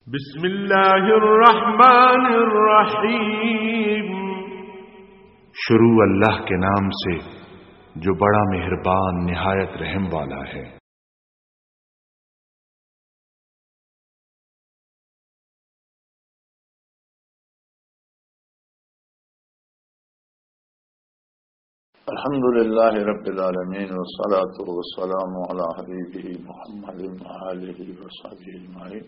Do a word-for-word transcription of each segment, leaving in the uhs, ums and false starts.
بسم اللہ الرحمن الرحیم۔ شروع اللہ کے نام سے جو بڑا مہربان نہایت رحم والا ہے۔ الحمد لله رب العالمين، والصلاة والسلام على حبيبه محمد وآله وصحبه أجمعين.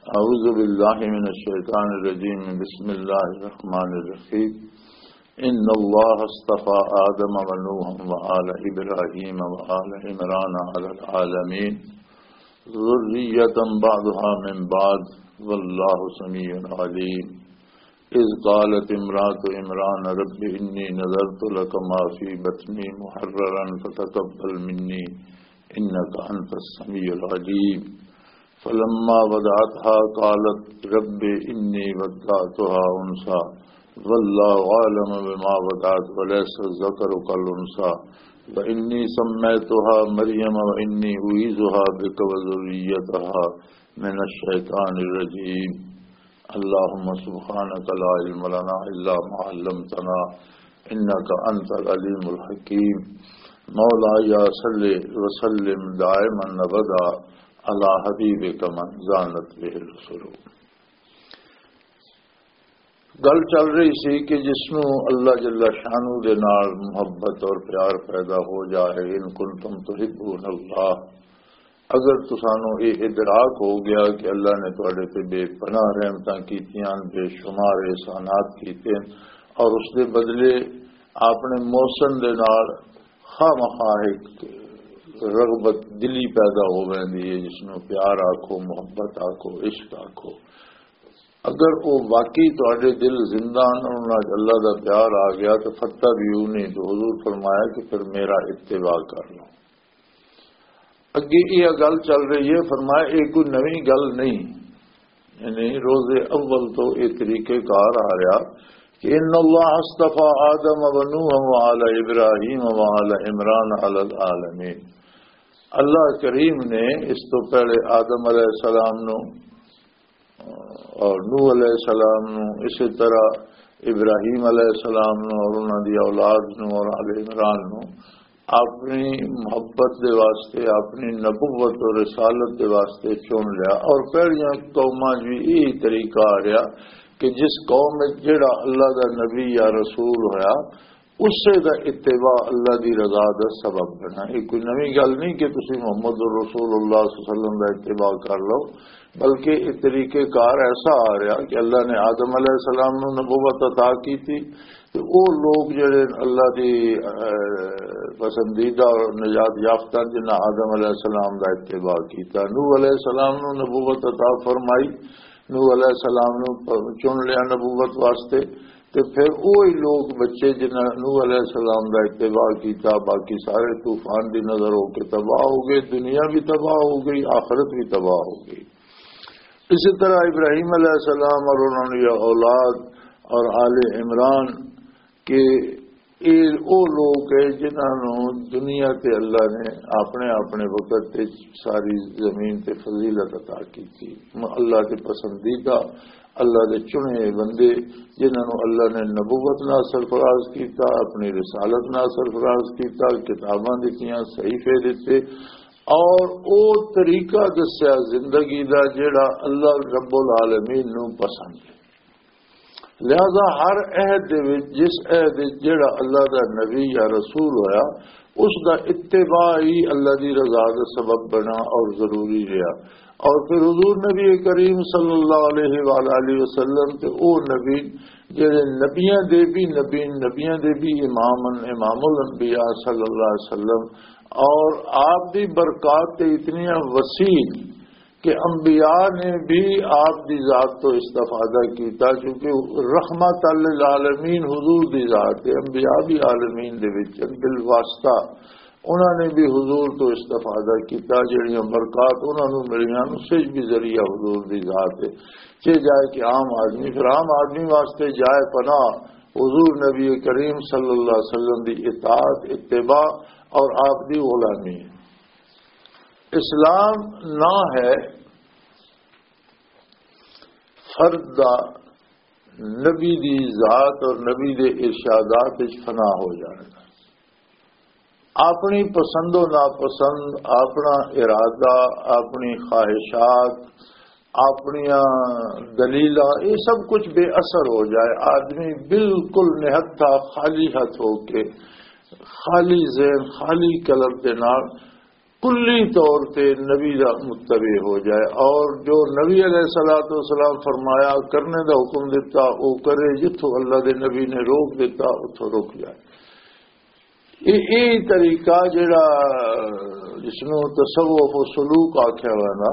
أعوذ بالله من الشيطان الرجيم. بسم الله الرحمن الرحيم. إن الله اصطفى آدم ونوحا وآل إبراهيم وآل عمران على العالمين، ذرية بعضها من بعض، والله سميع عليم. إذ قالت امرأة عمران رب إني نذرت لك ما في بطني محررا فتقبل مني إنك أنت السميع العليم. فلما وضعتها قالت رب إني وضعتها أنثى والله أعلم بما وضعت وليس الذكر كالأنثى وإني سميتها مريم وإني أعيذها بك وذريتها من الشيطان الرجيم. اللهم سبحانك لا علم لنا إلا ما علمتنا إنك أنت العليم الحكيم. مولاي صل وسلم دائما أبدا على حبيبك من زانت به الرسل. گل چل رہی سی کہ جس نو اللہ جل شانہ دے نال محبت اور پیار پیدا ہو جائے، ان کنتم تحبون اللہ، اگر تسانو یہ ادراک ہو گیا کہ اللہ نے تواڈے تے بے پناہ رحمتاں کیتیاں، بے شمار احسانات کیتے، اور اس دے بدلے آپ نے محسن دے نال خواہ مخواہ ایک رغبت دلی پیدا ہو ویندی ہے، جس نو پیار آکھو، محبت آکھو، عشق آکھو۔ اگر وہ واقعی تواڈے دل زندہ ہن، انہاں وچ اللہ دا پیار آ گیا، تو فتح بھی نہیں، تو حضور فرمایا کہ پھر میرا اتباع کر لو۔ اگے یہ گل چل رہی ہے، فرمایا یہ کوئی نویں گل نہیں، یعنی روز اول تو یہ طریقہ کار آ رہا کہ ان اللہ اصطفیٰ آدم و نوح و آل ابراہیم و آل عمران علی العالمین۔ اللہ کریم نے اس تو پہلے آدم علیہ السلام نو اور نوح علیہ السلام نو، اسی طرح ابراہیم علیہ السلام نو اور انہاں دی اولاد نو اور آل عمران نو اپنی محبت دے واسطے، اپنی نبوت اور رسالت دے واسطے چن لیا۔ اور پہلیاں قوماں وچ بھی یہی طریقہ آ رہا کہ جس قوم وچ جڑا اللہ دا نبی یا رسول ہویا، اسے دا اتباع اللہ دی رضا دا سبب بنا۔ یہ کوئی نویں گل نہیں کہ تسی محمد رسول اللہ صلی اللہ علیہ وسلم دا اتباع کر لو، بلکہ یہ طریقہ کار ایسا آ رہا کہ اللہ نے آدم علیہ السلام نو نبوت عطا کی تھی، تے او لوگ جڑے اللہ دی، اے، پسندیدہ اور نجات یافتہ، جنہاں آدم علیہ السلام دا اتباع کیتا، نوح علیہ السلام نو نبوت عطا فرمائی، نوح علیہ السلام نو پ-، چن لیا نبوت واسطے۔ تے پھر وہی لوگ بچے جنہاں نوح علیہ السلام دا اتباع کیتا، باقی سارے طوفان دی نظر ہو کے تباہ ہو گئے، دنیا بھی تباہ ہو گئی، آخرت بھی تباہ ہو گئی۔ اسی طرح ابراہیم علیہ السلام اور انہوں نے اولاد اور آل عمران کے، اے او لوگ ہیں جنہاں نوں دنیا تے اللہ نے اپنے، اپنے وقت تے ساری زمین تے فضیلت عطا کی تھی۔ اللہ دے پسندیدہ، اللہ دے چنے ہوئے بندے، جنہاں نوں اللہ نے نبوت نال سرفراز کیتا، اپنی رسالت نال سرفراز کیتا، کتاباں دتیاں، صحیفے دتے، اور او طریقہ دسیا زندگی دا، جیڑا اللہ رب العالمین نوں پسند ہے۔ لہذا ہر عہد دے وچ، جس عہد وچ جیڑا اللہ دا نبی یا رسول ہویا، اس دا اتباع ہی اللہ دی رضا دا سبب بنا اور ضروری رہا۔ اور پھر حضور نبی کریم صلی اللہ علیہ وآلہ وسلم تے او نبی جڑے نبیاں دے بھی نبی، نبیاں دے بھی امام، امام الانبیاء صلی اللہ علیہ وسلم، اور آپ دی برکات تے اتنیاں وسیع کہ انبیاء نے بھی آپ دی ذات تو استفادہ کیتا، کیونکہ رحمت للعالمین حضور دی ذات ہے، انبیاء بھی عالمین دے وچ ہیں، بالواسطہ انہاں نے بھی حضور تو استفادہ کیتا، جڑیاں برکات انہاں نوں ملیاں، اس وچ بھی ذریعہ حضور دی ذات ہے۔ چے جائے کہ عام آدمی، پھر عام آدمی واسطے جائے پناہ حضور نبی کریم صلی اللہ علیہ وسلم دی اطاعت، اتباع اور آپ دی غلامی ہے۔ اسلام نہ ہے ارض دا نبی دی ذات اور نبی دے ارشادات وچ فنا ہو جانا۔ اپنی پسند و ناپسند، اپنا ارادہ، اپنی خواہشات، اپنیاں دلیلاں، یہ سب کچھ بے اثر ہو جائے، آدمی بالکل نہتھا، خالی ہاتھ ہو کے، خالی ذہن، خالی قلب دے نال کلی طور تے نبی دا متبع ہو جائے، اور جو نبی علیہ الصلوۃ والسلام فرمایا، کرنے دا حکم دیتا، وہ کرے، جتھوں اللہ دے نبی نے روک دیتا، اتھوں رک جائے۔ یہ، یہ طریقہ جڑا، جس نوں تصوف و سلوک آکھیا ہوا نا،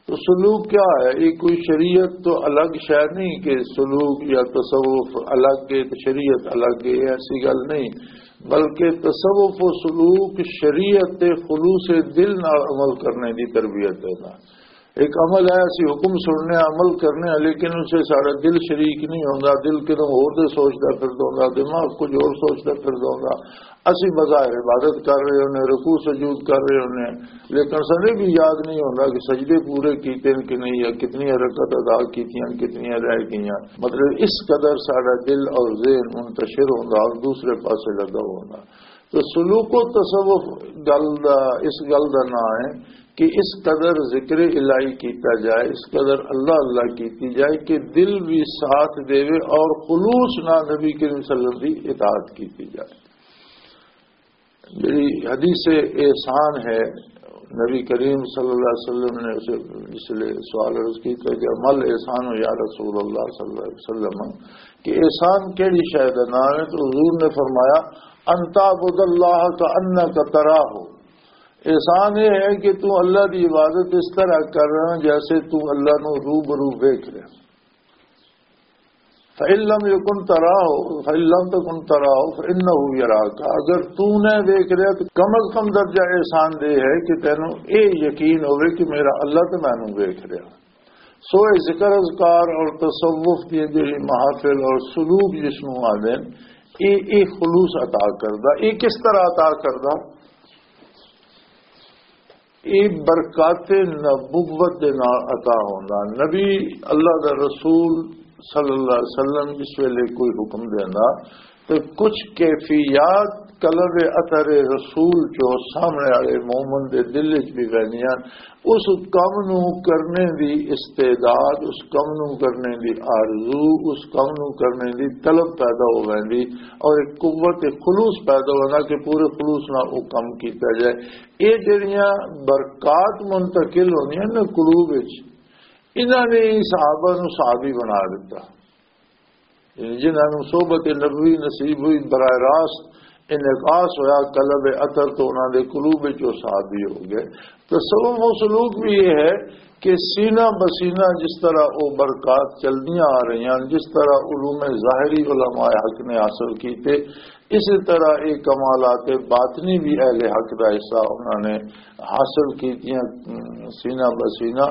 تو سلوک کیا ہے؟ یہ کوئی شریعت تو الگ شے نہیں کہ سلوک یا تصوف الگ ہے تو شریعت الگ ہے، ایسی گل نہیں۔ بلکہ تصوف و سلوک شریعت تے خلوص دل نال عمل کرنے دی تربیت ہے نا۔ ایک عمل ہے، اسی حکم سننے، عمل کرنے، لیکن اسے سارا دل شریک نہیں ہوندا۔ دل کدوں ہور دے سوچدا پھردا ہوندا، دماغ کچھ ہور سوچدا پھردا ہوندا۔ اسی بظاہر عبادت کر رہے ہونے، رکوع سجود کر رہے ہونے، لیکن سنے بھی یاد نہیں ہوندا کہ سجدے پورے کیتے ہیں کہ نہیں، یا کتنی رکعت ادا کیتیاں، کتنی رہ گئیاں۔ مطلب، اس قدر سارا دل اور ذہن منتشر ہوندا اور دوسرے پاسے لگا ہوندا۔ تو سلوک و تصوف گل دا، اس گل دا نام ہے کہ اس قدر ذکر الہی کیتا جائے، اس قدر اللہ اللہ کیتی جائے کہ دل بھی ساتھ دے اور خلوص نہ نبی کریم صلی اللہ علیہ وسلم دی اطاعت کیتی جائے۔ میری حدیث احسان ہے، نبی کریم صلی اللہ علیہ وسلم نے اسے، اس لیے سوال عرض کیتا کہ مل احسان یا رسول اللہ صلی اللہ علیہ وسلم، کہ احسان کیڑی شے دا نام ہے؟ تو حضور نے فرمایا، ان تعبد اللہ کانک تراہ۔ احسان یہ ہے کہ تو اللہ دی عبادت اس طرح کر رہا جیسے تو اللہ نو روبرو ویکھ رہا۔ فَإِن لَّمْ يَكُن تَرَاهُ، فَإِن لَّمْ تَكُن تَرَاهُ فَإِنَّهُ يَرَاكَ۔ اگر تو نہ ویکھ رہا تو کم از کم درجہ احسان دے ہے کہ تینوں اے یقین ہوئے کہ میرا اللہ تے مینوں ویکھ رہا۔ سو اے ذکر اذکار اور تصوف دی جڑی محافل اور سلوک جس نوں آدھے، اے، اے خلوص عطا کردا۔ اے کس طرح عطا کردا؟ اے برکات نبوت دے نال عطا ہوندا۔ نبی، اللہ دا رسول صلی اللہ علیہ وسلم جس ویلے کوئی حکم دیندا تے کچھ کیفیات قلب اثر رسول چو سامنے والے مومن دے دل وچ بھی ویندیاں، اس کم نو کرنے دی استعداد، اس کم نو کرنے دی آرزو، اس کم نو کرنے دی طلب پیدا ہو ویندی اور ایک قوت خلوص پیدا ہوندا کہ پورے خلوص نال وہ کم کیتا جائے۔ یہ جڑیاں برکات منتقل ہوندیاں نا قلوب وچ، انہاں نے ہی صحابہ نو صحابی بنا دیتا۔ یعنی جنہاں نو صحبت نبوی نصیب ہوئی، براہ راست انعکاس ہویا قلب اثر تو انہاں دے قلوب وچ وہ صحابی ہو گئے۔ تصوف و سلوک بھی یہ ہے کہ سینہ بسینہ جس طرح وہ برکات چلدیاں آ رہی ہیں، جس طرح علوم ظاہری علماء حق نے حاصل کیتے، اسی طرح یہ کمالات باطنی بھی اہل حق دا حصہ انہوں نے حاصل کیتیاں، ام، سینہ بسینہ۔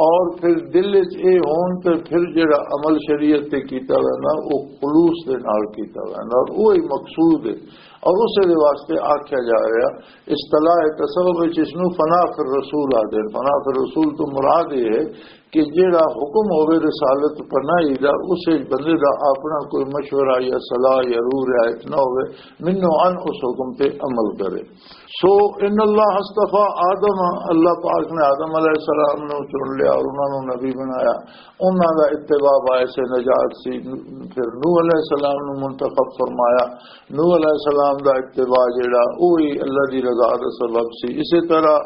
اور پھر دل وچ اے ہون تے پھر جڑا عمل شریعت تے کیتا ویندا، او خلوص دے نال کیتا ویندا اور وہی مقصود ہے۔ اور اسے دے واسطے آکھیا جا رہا، اصطلاح تصوف وچ اس نو فنا فی الرسول آدھے۔ فنا فی الرسول تو مراد یہ ہے کہ جیڑا حکم ہوے رسالت پناہی دا، اس وچ بندے دا اپنا کوئی مشورہ یا صلاح یا روح رعایت نہ ہوے، منو عن اس حکم تے عمل کرے۔ سو ان اللہ اصطفیٰ آدم، اللہ پاک نے آدم علیہ السلام نو چن لیا اور انہاں نو نبی بنایا۔ انہاں دا اتباع باعث نجات سی۔ پھر نوح علیہ السلام نو منتخب فرمایا۔ نوح علیہ السلام دا اتباع جیڑا، وہی اللہ دی رضا دا سبب سی۔ اسی طرح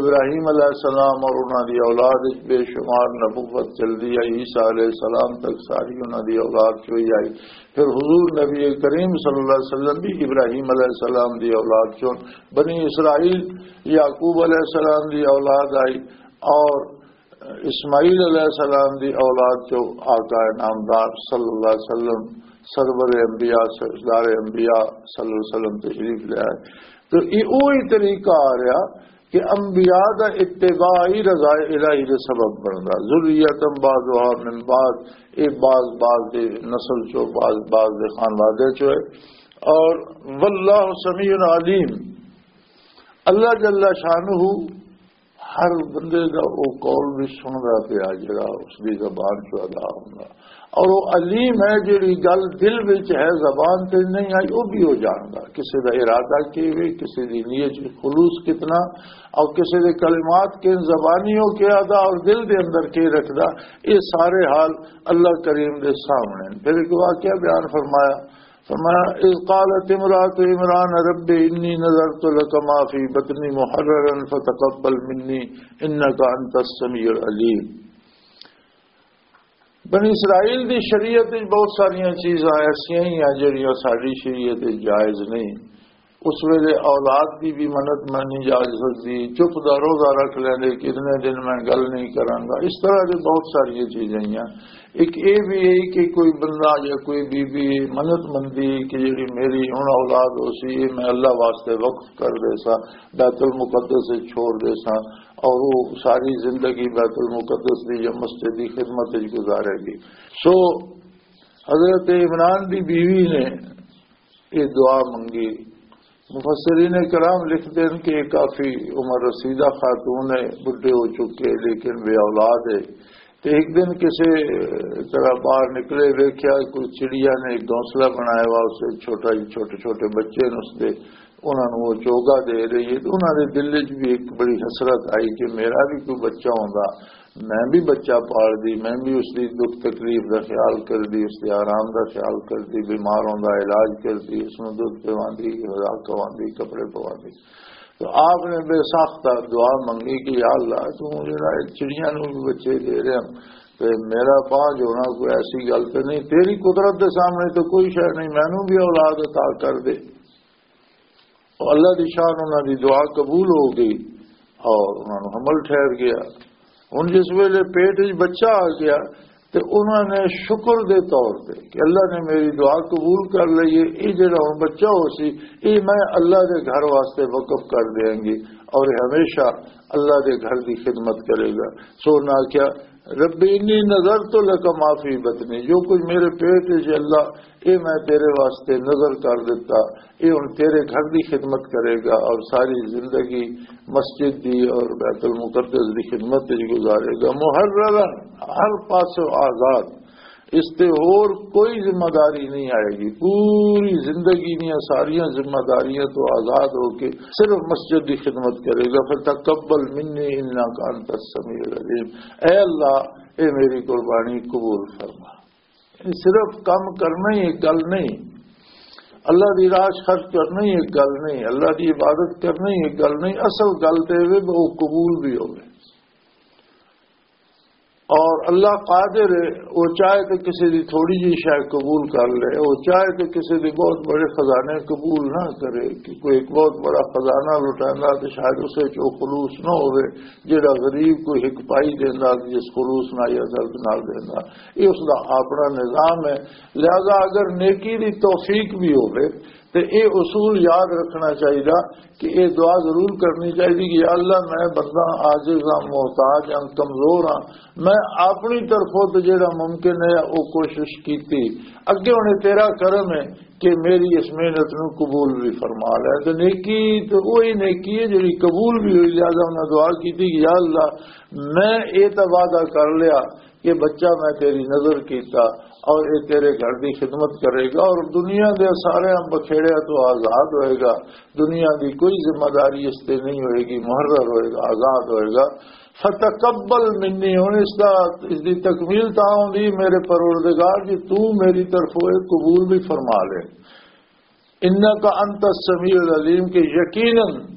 ابراہیم علیہ السلام اور انہاں دی اولاد وچ بے شمار نبوت چلدی آئی، عیسیٰ علیہ السلام تک ساری انہاں دی اولاد چوئی آئی۔ پھر حضور نبی کریم صلی اللہ علیہ وسلم بھی ابراہیم علیہ السلام دی اولاد چون، بنی اسرائیل یعقوب علیہ السلام دی اولاد آئی، اور اسماعیل علیہ السلام دی اولاد چو آقا نامدار صلی اللہ علیہ وسلم، سرور انبیاء، سردار انبیاء صلی اللہ علیہ وسلم تشریف لے آئے۔ تو یہ وہی طریقہ آ رہا کہ انبیاء دا اتباع ہی رضا الہی دے سبب بندا۔ ذریۃ بعضها من بعض، یہ بعض بعض دے نسل چو، بعض بعض دے خانوادے چو ہے۔ اور واللہ سمیع علیم، اللہ جل شانہ ہر بندے دا او قول بھی سندا پیا جڑا اس دی زبان چوں ادا ہوندا۔ اور وہ علیم ہے، جڑی گل دل وچ ہے، زبان تے نہیں آئی، وہ بھی ہو جاندا۔ کسی دا ارادہ کی وے، کسی دی نیت وچ خلوص کتنا، اور کسی دے کلمات کے زبانی ہو کے آدا اور دل دے اندر کے رکھدا، یہ سارے حال اللہ کریم دے سامنے ہیں۔ پھر ایک واقعہ بیان فرمایا، فرمایا، "اذ قالت امرأة عمران رب انی نذرت لک ما فی بطنی محررا فتقبل منی انک انت السمیع العلیم۔" بنی اسرائیل دی شریعت وچ بہت ساریاں چیزاں ایسیاں ہی ہیں جڑیاں ساڈی شریعت وچ جائز نہیں۔ اس ویلے اولاد دی بھی منت مانی جا سکدی، چپ دا روزہ رکھ لیندے کہ اتنے دن میں گل نہیں کراں گا۔ اس طرح دے بہت ساریاں چیزاں ہی ہیں۔ ایک اے بھی ہے کہ کوئی بندہ یا کوئی بی بی منت مندی کہ جڑی میری ہن اولاد ہو سی، یہ میں اللہ واسطے وقف کر دے سا، بیت المقدس وچ چھوڑ دے سا، اور وہ ساری زندگی بیت المقدس دی یا مسجد دی خدمت وچ گزارے گی۔ سو حضرت عمران دی بیوی نے یہ دعا منگی۔ مفسرین کرام لکھتے ہیں کہ یہ کافی عمر رسیدہ خاتون ہے، بڈھے ہو چکے لیکن بے اولاد ہے۔ تے ایک دن کسے طرح باہر نکلے، ویکھیا کوئی چڑیا نے ایک گھونسلہ بنایا ہوا، اس وچ چھوٹا جی، چھوٹے چھوٹے بچے نے اس دے، انہاں نوں وہ چوگا دے رہی ہے۔ تے انہاں دے دل وچ بھی ایک بڑی حسرت آئی کہ میرا بھی کوئی بچہ ہوندا، میں بھی بچہ پال دی، میں بھی اس دی دکھ تکلیف دا خیال کر دی، اس دے آرام دا خیال کر دی، بیمار ہوندا علاج کر دی، اس نوں دودھ پواندی، غذا کھواندی، کپڑے پواندی۔ تو آپ نے بے ساختہ دعا منگی کہ یا اللہ، تو جڑا اے چڑیاں نوں بھی بچے دے رہے ہیں، تے میرا پاں جوڑا کوئی ایسی گل تے نہیں، تیری قدرت دے سامنے تو کوئی شے نہیں، مینوں بھی اولاد عطا کر دے۔ اور اللہ دی شان انہاں دی دعا قبول ہو گئی اور انہاں نوں حمل ٹھہر گیا۔ ہن جس ویلے پیٹ وچ بچہ آ گیا تے انہاں نے شکر دے طور تے کہ اللہ نے میری دعا قبول کر لئی ہے، یہ جڑا ہن بچہ ہو سی، یہ میں اللہ دے گھر واسطے وقف کر دیں گی اور یہ ہمیشہ اللہ دے گھر دی خدمت کرے گا۔ سو نہ کیا، رب انی نذرت لک ما فی بطنی، جو کچھ میرے پیٹ وچ اللہ، اے میں تیرے واسطے نذر کر دیتا، اے ہن تیرے گھر دی خدمت کرے گا اور ساری زندگی مسجد دی اور بیت المقدس دی خدمت وچ گزارے گا۔ محررا، ہر پاسوں آزاد، اس تے ہور کوئی ذمہ داری نہیں آئے گی، پوری زندگی دیاں ساریاں ذمہ داریاں تو آزاد ہو کے صرف مسجد دی خدمت کرے گا۔ فتقبل منی انک انت السمیع العلیم، اے اللہ، اے میری قربانی قبول فرما۔ یہ صرف کم کرنا ہی ایک گل نہیں، اللہ دی راہ خرچ کرنا ہی ایک گل نہیں، اللہ دی عبادت کرنا ہی ایک گل نہیں، اصل گل تے وے وہ قبول بھی ہوے۔ اور اللہ قادر ہے، وہ چاہے تو کسی دی تھوڑی جی شے قبول کر لے، وہ چاہے تو کسی دی بہت بڑے خزانے قبول نہ کرے، کہ کوئی ایک بہت بڑا خزانہ لٹائندا تو شاید اسے چ وہ خلوص نہ ہوے، جڑا غریب کوئی ایک پائی دیندا، جس خلوص نال یا درد نال دیندا، یہ اس دا اپنا نظام ہے۔ لہذا اگر نیکی دی توفیق بھی ہوے تے یہ اصول یاد رکھنا چاہیے کہ یہ دعا ضرور کرنی چاہیے کہ یا اللہ، میں بندہ عاجز ہاں، محتاج ہاں، کمزور ہاں، میں اپنی طرفوں تو جڑا ممکن ہے وہ کوشش کیتی، اگے ہن تیرا کرم ہے کہ میری اس محنت نو قبول بھی فرما لے۔ تو نیکی تو وہی نیکی ہے جڑی قبول بھی ہوئی۔ لہذا انہاں دعا کیتی کہ یا اللہ، میں یہ تو وعدہ کر لیا کہ بچہ میں تیری نظر کیتا اور یہ تیرے گھر دی خدمت کرے گا اور دنیا دے سارے بکھیڑے تو آزاد ہوئے گا، دنیا دی کوئی ذمہ داری اس تے نہیں ہوئے گی، محرر ہوئے گا، آزاد ہوئے گا۔ فتقبل منی، ہن اس دا، اس دی تکمیل تاں ہوندی، میرے پروردگار جی، تو میری طرفوں یہ قبول بھی فرما لے۔ انک انت السمیع العلیم، کہ یقیناً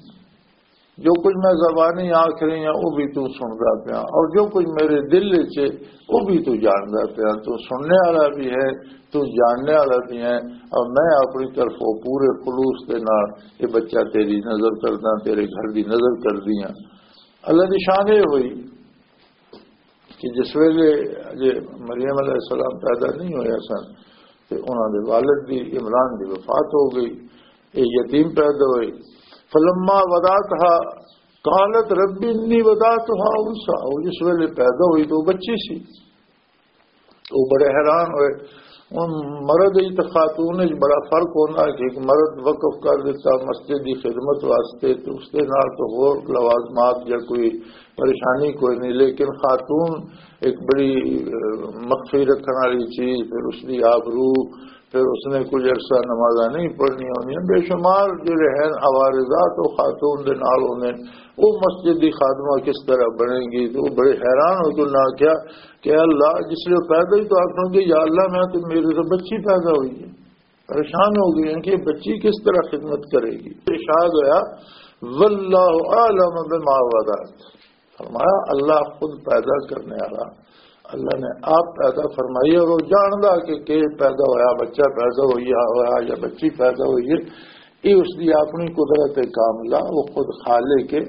جو کچھ میں زبانی آکھ رہی ہاں، وہ بھی تو سندا پیا، اور جو کچھ میرے دل وچ ہے، وہ بھی تو جاندا پیا۔ تو سننے والا بھی ہے، تو جاننے والا بھی ہے، اور میں اپنی طرفوں پورے خلوص دے نال یہ بچہ تیری نظر کردا، تیرے گھر دی نظر کردی ہاں۔ اللہ دی شان یہ ہوئی کہ جس ویلے اجے مریم علیہ السلام پیدا نہیں ہویا سن تے انہاں دے والد دی، عمران دی، وفات ہو گئی، یہ یتیم پیدا ہوئے۔ فلما وضعتها قالت رب انی وضعتها انثی، وہ جس ویلے پیدا ہوئی تو وہ بچی سی، وہ بڑے حیران ہوئے۔ ہن مرد وچ تے خاتون وچ بڑا فرق ہوندا ہے کہ ایک مرد وقف کر دتا مسجد دی خدمت واسطے، تے اس دے نال تے ہور لوازمات یا کوئی پریشانی کوئی نہیں، لیکن خاتون ایک بڑی، اہ، مخفی رکھن والی چیز، پھر اس دی آبرو، پھر اس نے کچھ عرصہ نمازاں نہیں پڑھنی ہوندیاں، بے شمار جڑے ہیں عوارضات وہ خاتون دے نال ہوندے نے۔ وہ مسجد دی خادمہ کس طرح بنے گی؟ تو وہ بڑے حیران ہو کے انہاں آکھیا کہ اللہ، جس لیے پیدا ہی تو آکھنو کہ یا اللہ، میں تو، میرے تو بچی پیدا ہوئی ہے، پریشان ہو گئی ہیں کہ یہ بچی کس طرح خدمت کرے گی۔ ارشاد ہویا، واللہ اعلم بما وضعت، فرمایا اللہ خود پیدا کرنے والا، اللہ نے آپ پیدا فرمائی اور وہ جاندا کہ کہ پیدا ہویا، بچہ پیدا ہویا ہویا یا بچی پیدا ہوئی ہے، یہ اس دی اپنی قدرت کاملہ، وہ خود خالق ہے۔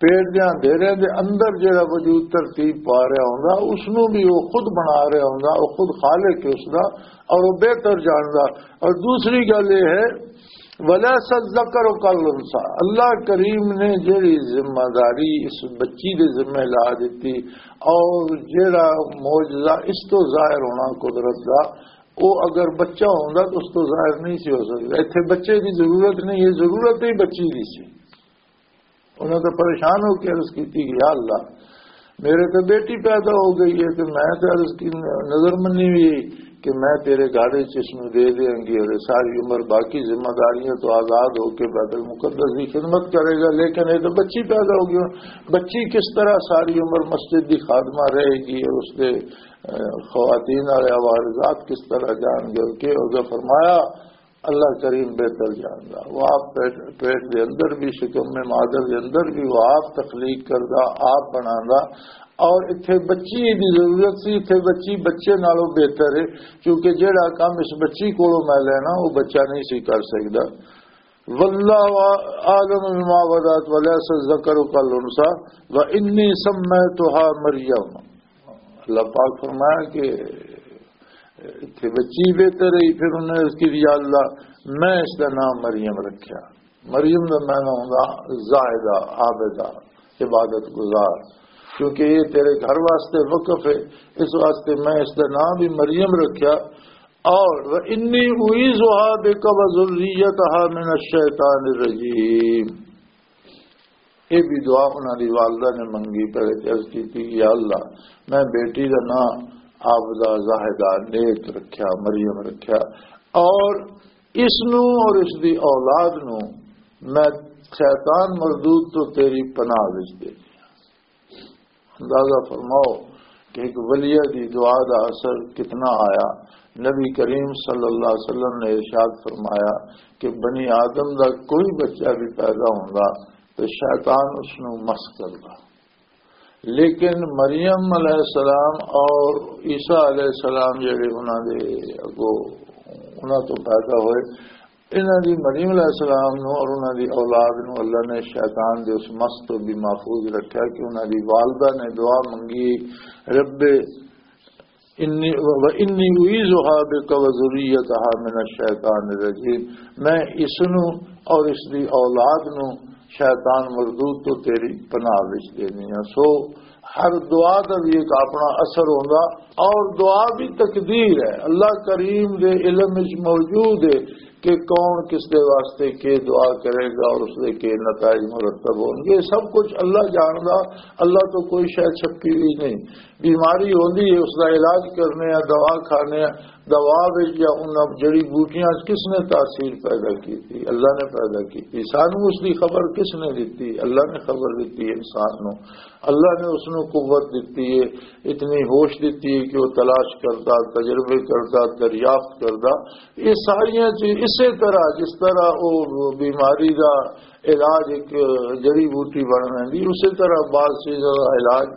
پیٹ دے اندھیرے دے اندر جڑا وجود ترتیب پا رہا ہوندا، اس نو بھی وہ خود بنا رہا ہوندا، وہ خود خالق ہے اس دا، اور وہ بہتر جاندا۔ اور دوسری گل یہ ہے، ولا سذکر کل انسا، اللہ کریم نے جڑی ذمہ داری اس بچی دے ذمہ لا دیتی، اور جڑا معجزہ اس تو ظاہر ہونا قدرت دا، وہ اگر بچہ ہوندا تو اس تو ظاہر نہیں سی ہو سکدا۔ ایتھے بچے دی ضرورت نہیں، یہ ضرورت ہی بچی دی سی۔ انہاں تو پریشان ہو کے عرض کیتی کہ یا اللہ، میرے تے بیٹی پیدا ہو گئی ہے، تے میں تے عرض کی نظر منی بھی کہ میں تیرے گھر وچ اس نوں دے دیاں گی اور یہ ساری عمر باقی ذمہ داریاں تو آزاد ہو کے بیت المقدس دی خدمت کرے گا، لیکن یہ تو بچی پیدا ہو گئی۔ ہن بچی کس طرح ساری عمر مسجد دی خادمہ رہے گی اور اس دے، اہ، خواتین والے عوارضات کس طرح جان گے؟ کہ اگر فرمایا اللہ کریم بہتر جاندا۔ وہ آپ پیٹ، پیٹ دے اندر بھی، شکم میں مادر دے اندر بھی وہ آپ تخلیق کردا، آپ بناندا۔ اور اتھے بچی دی ضرورت سی، اتھے بچی بچے نالوں بہتر ہے، کیونکہ جیڑا کام اس بچی کولوں میں لینا، وہ بچہ نہیں سی کر سکدا۔ واللہ اعلم بما وضعت ولیس الذکر کالانثی وانی سمیتها مریم۔ اللہ پاک فرمایا کہ اتھے بچی بہتر رہی، پھر انہوں نے عرض کی، یا اللہ، میں اس دا نام مریم رکھیا۔ مریم دا معنی ہوندا زاہدہ، عابدہ، عبادت گزار، کیونکہ یہ تیرے گھر واسطے وقف ہے، اس واسطے میں اس دا نام بھی مریم رکھیا۔ اور وانی اعیذها بک وذریتها من الشیطان الرجیم۔ یہ بھی دعا انہاں دی والدہ نے منگی، پہلے تے عرض کیتی کہ یا اللہ، میں بیٹی دا نام عابدہ، زاہدہ، نیک رکھیا، مریم رکھیا، اور اس نو اور اس دی اولاد نو میں شیطان مردود تو تیری پناہ وچ دے دیا۔ اندازہ فرماؤ کہ ایک ولیہ دی دعا دا اثر کتنا آیا۔ نبی کریم صلی اللہ علیہ وسلم نے ارشاد فرمایا کہ بنی آدم دا کوئی بچہ بھی پیدا ہوندا تو شیطان اس نو مس کردا، لیکن مریم علیہ السلام اور عیسیٰ علیہ السلام جڑے انہاں دے اگو، انہاں تو پیدا ہوئے، انہاں دی، مریم علیہ السلام نو اور انہاں دی اولاد نو اللہ نے شیطان دے اس مس تو بھی محفوظ رکھیا کہ انہاں دی والدہ نے دعا منگی، رب انی، و انی اعیذها بک و ذریتها من الشیطان الرجیم، میں اس نو اور اس دی اولاد نو شیطان مردود تو تیری پناہ وچ دینی ہاں۔ سو ہر دعا دا بھی ایک اپنا اثر ہوندا، اور دعا بھی تقدیر ہے، اللہ کریم دے علم وچ موجود ہے کہ کون کس دے واسطے کی دعا کرے گا اور اس دے کی نتائج مرتب ہون گے۔ سب کچھ اللہ جاندا، اللہ تو کوئی شے چھپی ہوئی نہیں۔ بیماری ہوندی ہے، اس دا علاج کرنے آ، دوا کھانے آ، دوا وچ یا انہاں جڑی بوٹیاں وچ کس نے تاثیر پیدا کیتی؟ اللہ نے پیدا کیتی۔ سانو اس دی خبر کس نے دتی؟ اللہ نے خبر دتی انسان نو۔ اللہ نے اس نو قوت دتی ہے، اتنی ہوش دتی ہے کہ وہ تلاش کردا، تجربے کردا، دریافت کردا۔ یہ ساریاں چیز اسی طرح، جس طرح وہ بیماری دا علاج ایک جڑی بوٹی بن ویندی، اسی طرح بعض چیزاں دا علاج،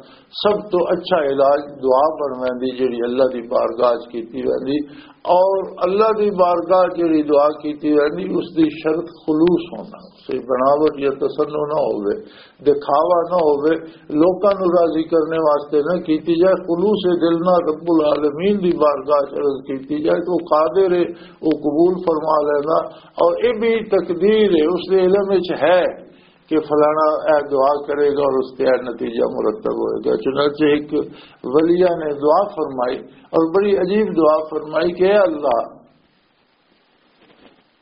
سب تو اچھا علاج دعا بن ویندی، جڑی اللہ دی بارگاہ چ کیتی ویندی۔ اور اللہ دی بارگاہ جڑی دعا کیتی ویندی، اس دی شرط خلوص ہونا، کوئی بناوٹ یا تصنع نہ ہوے، دکھاوا نہ ہوے، لوکاں نوں راضی کرنے واسطے نہ کیتی جائے، خلوص دل نال رب العالمین دی بارگاہ چ عرض کیتی جائے تو وہ قادر ہے، وہ قبول فرما لینا۔ اور یہ بھی تقدیر ہے، اس دے علم وچ ہے کہ فلانا اے دعا کرے گا اور اس کے اے نتیجہ مرتب ہوئے گا۔ چنانچہ ایک ولیہ نے دعا فرمائی اور بڑی عجیب دعا فرمائی کہ اے اللہ،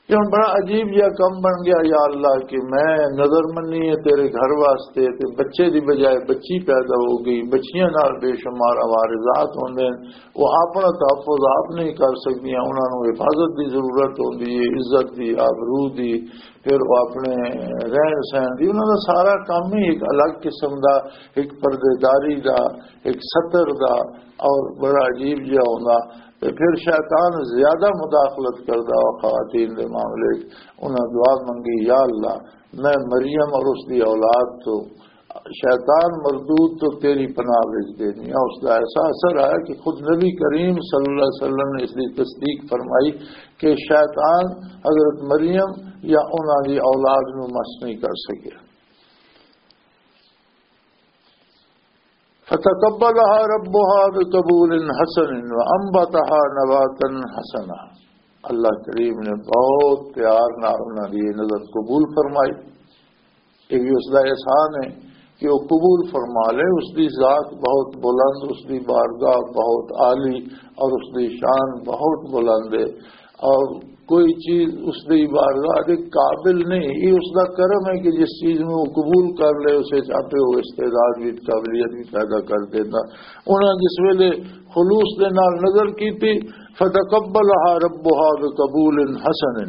یہ ہن بڑا عجیب جہا کم بن گیا، یا اللہ، کہ میں نظر منی ہے تیرے گھر واسطے، تے بچے دی بجائے بچی پیدا ہو گئی، بچیاں نال بے شمار عوارضات ہوندے نے، وہ اپنا تحفظ آپ نہیں کر سکدیاں، انہاں نوں حفاظت دی ضرورت ہوندی ہے، عزت دی، آبرو دی، پھر وہ اپنے رہن سہن دی، انہاں دا سارا کام ہی ایک الگ قسم دا، ایک پردے داری دا، ایک ستر دا، اور بڑا عجیب جہا ہوندا۔ تے پھر شیطان زیادہ مداخلت کردا وا خواتین دے معاملے وچ۔ انہاں دعا منگی، یا اللہ، میں مریم اور اس دی اولاد تو، شیطان مردود تو تیری پناہ وچ دینی ہاں۔ اس دا ایسا اثر آیا کہ خود نبی کریم صلی اللہ علیہ وسلم نے اس دی تصدیق فرمائی کہ شیطان حضرت مریم یا انہاں دی اولاد نو مس نہیں کر سکیا۔ فتقبلها ربها بقبول حسن وانبتها نباتا حسنا۔ اللہ کریم نے بہت پیار نال انہاں دی یہ نظر قبول فرمائی۔ یہ بھی اس دا احسان ہے کہ وہ قبول فرما لے۔ اس دی ذات بہت بلند، اس دی بارگاہ بہت عالی اور اس دی شان بہت بلند ہے۔ اور کوئی چیز اس دی بارگاہ دے قابل نہیں۔ یہ اس دا کرم ہے کہ جس چیز نوں وہ قبول کر لے، اسے چاہتے ہو استعداد بھی، قابلیت بھی پیدا کر دینا۔ انہاں جس ویلے خلوص دے نال نظر کیتی، فتقبلها ربها بقبول حسن،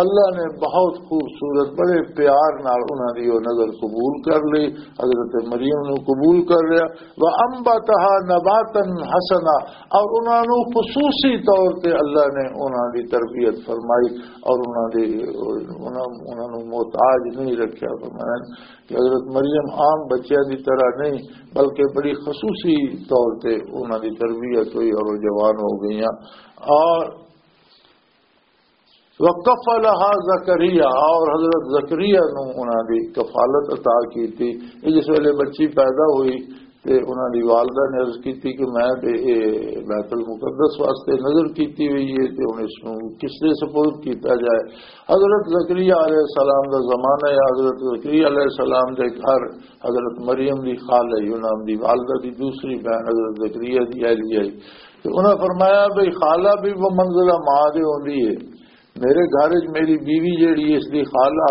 اللہ نے بہت خوبصورت، بڑے پیار نال انہاں دی وہ نظر قبول کر لی، حضرت مریم نوں قبول کر لیا۔ وانبتها نباتا حسنا، اور انہاں نوں خصوصی طور تے اللہ نے انہاں دی تربیت فرمائی اور انہاں دی، انہاں، انہاں نوں محتاج نہیں رکھیا۔ فرمایا کہ حضرت مریم عام بچیاں دی طرح نہیں، بلکہ بڑی خصوصی طور تے انہاں دی تربیت ہوئی اور وہ جوان ہو گئیاں۔ اور وکفلها زکریا، اور حضرت زکریا نو انہاں دی کفالت عطا کیتی۔ یہ جس ویلے بچی پیدا ہوئی تے انہاں دی والدہ نے عرض کیتی کہ میں تے اے بیت المقدس واسطے نظر کیتی ہوئی ہے تے ہن اس نو کس دے سپرد کیتا جائے۔ حضرت زکریا علیہ السلام دا زمانہ ہے، حضرت زکریا علیہ السلام دے گھر حضرت مریم دی خالہ ہی، انہاں دی والدہ دی دوسری بہن حضرت زکریا دی اہلیہ ہی۔ تے انہاں فرمایا بھئی خالہ بھی وہ منزلہ ماں دے ہوندی ہے، میرے گھر وچ میری بیوی جیڑی اس دی خالہ،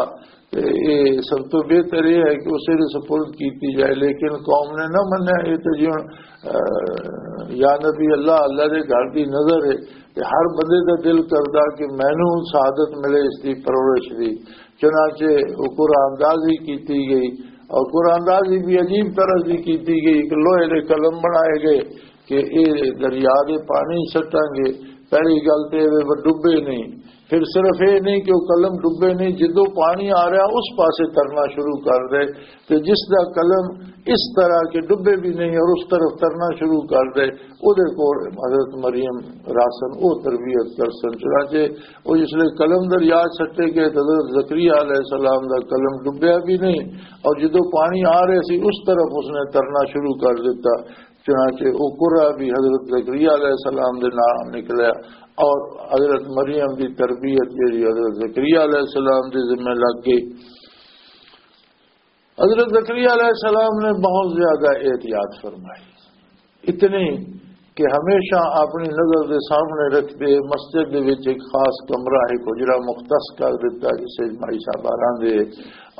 تے اے سب تو بہتر یہ ہے کہ اسے دے سپرد کیتی جائے، لیکن قوم نے نہ منیا۔ یہ تے جی ہن، اہ، یا نبی اللہ، اللہ دے گھر دی نظر ہے، تے ہر بندے دا دل کردا کہ مینوں سعادت ملے اس دی پرورش دی۔ چنانچہ وہ قرآن اندازی کیتی گئی، اور قرآن اندازی بھی عجیب طرح دی کیتی گئی کہ لوہے دے قلم بنائے گئے کہ اے دریا دے پانی سٹاں گے، پہلی گل تے اے وہ ڈبے نہیں، پھر صرف اے نہیں کہ وہ قلم ڈبے نہیں، جدوں پانی آ رہا اس پاسے ترنا شروع کر دے، تے جس دا قلم اس طرح کہ ڈبے بھی نہیں اور اس طرف ترنا شروع کر دے، او دے کول حضرت مریم راسن، او تربیت کرسن۔ چنانچہ او جس لے قلم دریا سٹے گئے تے حضرت زکریا علیہ السلام دا قلم ڈبیا بھی نہیں، اور جدوں پانی آ رہے سی اس طرف اس نے ترنا شروع کر دیتا۔ چنانچہ او قرہ بھی حضرت زکریا علیہ السلام دے نام نکلیا، اور حضرت مریم دی تربیت جیڑی حضرت زکریا علیہ السلام دے ذمہ لگ گئی۔ حضرت زکریا علیہ السلام نے بہت زیادہ احتیاط فرمائی، اتنی کہ ہمیشہ اپنی نظر دے سامنے رکھتے مسجد دے وچ ایک خاص کمرہ، ایک حجرہ مختص کر دیتا، جسے مائی صاحب آراں دے،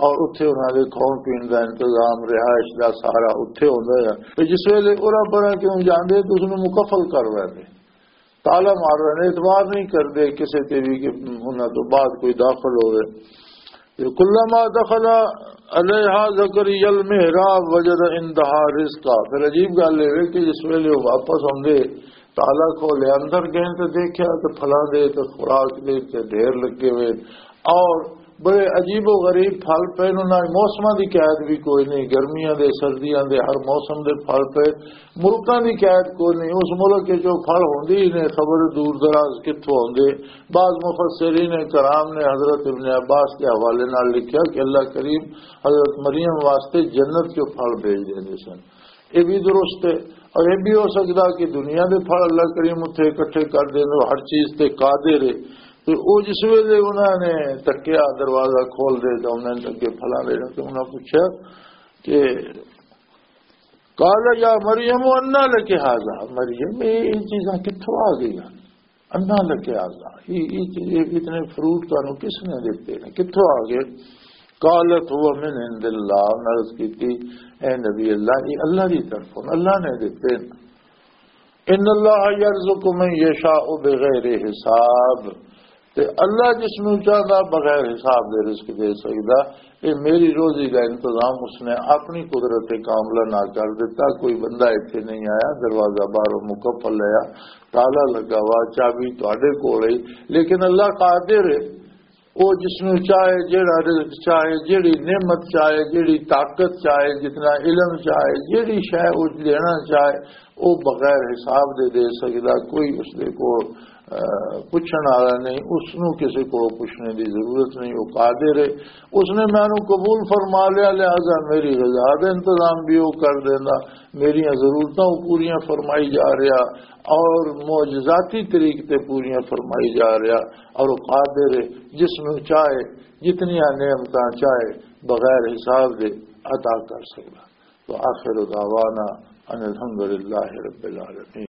اور اتھے انہاں دے کھاؤن پین دا انتظام، رہائش دا سارا اتھے ہوندا ہے۔ تے جس ویلے اورا پرا کیوں جاندے تے اس نوں مکفل کر لیندے، تالا مار رہے نے، اعتبار نہیں کردے کسے تے بھی کہ انہاں تو بعد کوئی داخل ہوئے۔ کلما دخل علیہا زکریا المحراب وجد عندہا رزقا۔ پھر عجیب گل یہ ہے کہ جس ویلے وہ واپس آندے، تالا کھولے، اندر گئے تے دیکھیا کہ پھلاں دے تے خوراک دے تے ڈھیر لگے ہوئے، اور بڑے عجیب و غریب پھل پے، انہاں موسماں دی قید بھی کوئی نہیں، گرمیاں دے، سردیاں دے، ہر موسم دے پھل پے، ملکاں دی قید کوئی نہیں۔ اس ملک وچ جو پھل ہوندے ہی نے، خبر دور دراز کتھوں ہوندے۔ بعض مفسرین کرام نے حضرت ابن عباس کے حوالے نال لکھیا کہ اللہ کریم حضرت مریم واسطے جنت چوں پھل بھیج دیندے سن۔ یہ بھی درست ہے، اور یہ بھی ہو سکدا کہ دنیا دے پھل اللہ کریم اتھے اکٹھے کر دیندے، ہر چیز تے قادر ہے۔ تے او جس ویلے انہاں نے تکیا دروازہ کھول دے، تے انہاں نے اگے پھلاں دے، تے انہاں پوچھیا کہ، "قال یا مریم، انا لک ھذا؟" مریم، یہ، یہ چیزاں کتھوں آ گئیاں؟ "انا لک ھذا، یہ، یہ چیز، یہ اتنے فروٹ تانوں کس نے دتے نے؟ کتھوں آ گئے؟" "قالت ھو من عند اللہ۔" انہاں عرض کیتی، "اے نبی اللہ، یہ اللہ دی طرفوں، اللہ نے دتے نے۔" "ان اللہ یرزق من یشاء بغیر حساب۔" تے اللہ جس نوں چاہندا بغیر حساب دے رزق دے سکدا۔ اے میری روزی دا انتظام اس نے اپنی قدرت کاملہ نال کر دتا۔ کوئی بندہ ایتھے نہیں آیا، دروازہ باہروں مکفل لیا، تالا لگا ہوا، چابی تہاڈے کول ہے، لیکن اللہ قادر ہے۔ او جس نوں چاہے، جیڑا رزق چاہے، جیڑی نعمت چاہے، جیڑی طاقت چاہے، جتنا علم چاہے، جیڑی شے او دینا چاہے، او بغیر حساب دے دے سکدا۔ کوئی اس دے کول، اہ، پچھن والا نہیں، اس نوں کسے کول پچھنے دی ضرورت نہیں، او قادر ہے۔ اس نے مینوں قبول فرما لیا، لہذا میری غذا دا انتظام بھی او کر دیندا، میریاں ضرورتاں او پوریاں فرمائی جا رہا، اور معجزاتی طریقے تے پوریاں فرمائی جا رہا، اور او قادر ہے، جس نوں چاہے، جتنیاں نعمتاں چاہے، بغیر حساب دے عطا کر سکدا۔ تو آخر دعوانا ان الحمدللہ رب العالمین۔